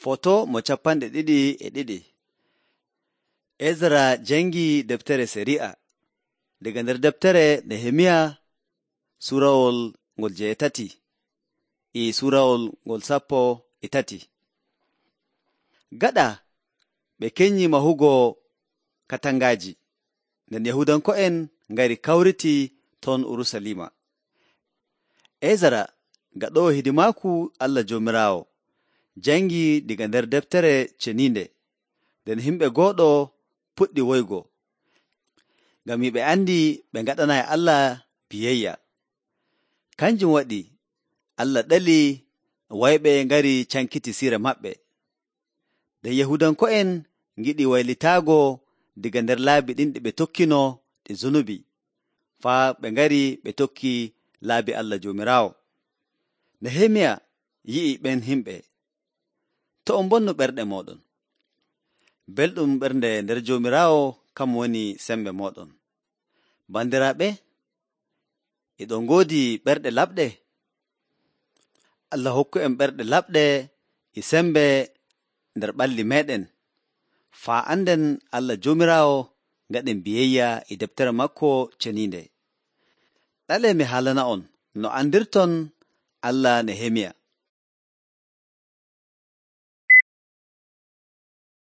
Foto mo 22. Ezra jangi deftere Sari'a daga nder deftere Nehemiya surawol ngol 8 e surawol ngol 13. Gaɗa ɓe kenyi mahugo katangaji, nden Yahudanko'en ngari kawriti ton Urusalima. Ezra gaɗowo hidimaaku Allah Joomiraawo jangi diga nder deftere ceniinde, nden himɓe gooɗo puɗɗi woygo, ngam ɓe andi ɓe ngaɗanayi Allah biyayya. Kanjum waɗi Allah ɗali wayɓe ngari cankiti sire maɓɓe. Nden Yahudanko'en ngiɗi waylitaago diga nder laabi ɗin ɗi ɓe tokkino ɗi zunubi, faa ɓe ngari ɓe tokki laabi Allah Joomiraawo. Nehemiya yi'i ɓen himɓe, to on bonnu ɓerɗe mooɗon. Belɗum ɓernde nder Joomiraawo kam woni sembe mooɗon. Bandiraaɓe, eɗon ngoodi ɓerɗe laɓɗe? Allah hokku en ɓerɗe laɓɗe e sembe nder ɓalli meeɗen, faa anden Allah Joomiraawo ngaɗen biyayya e deftere makko ceniinde. Ɗalee mi haalana on no andirton Allah Nehemiya.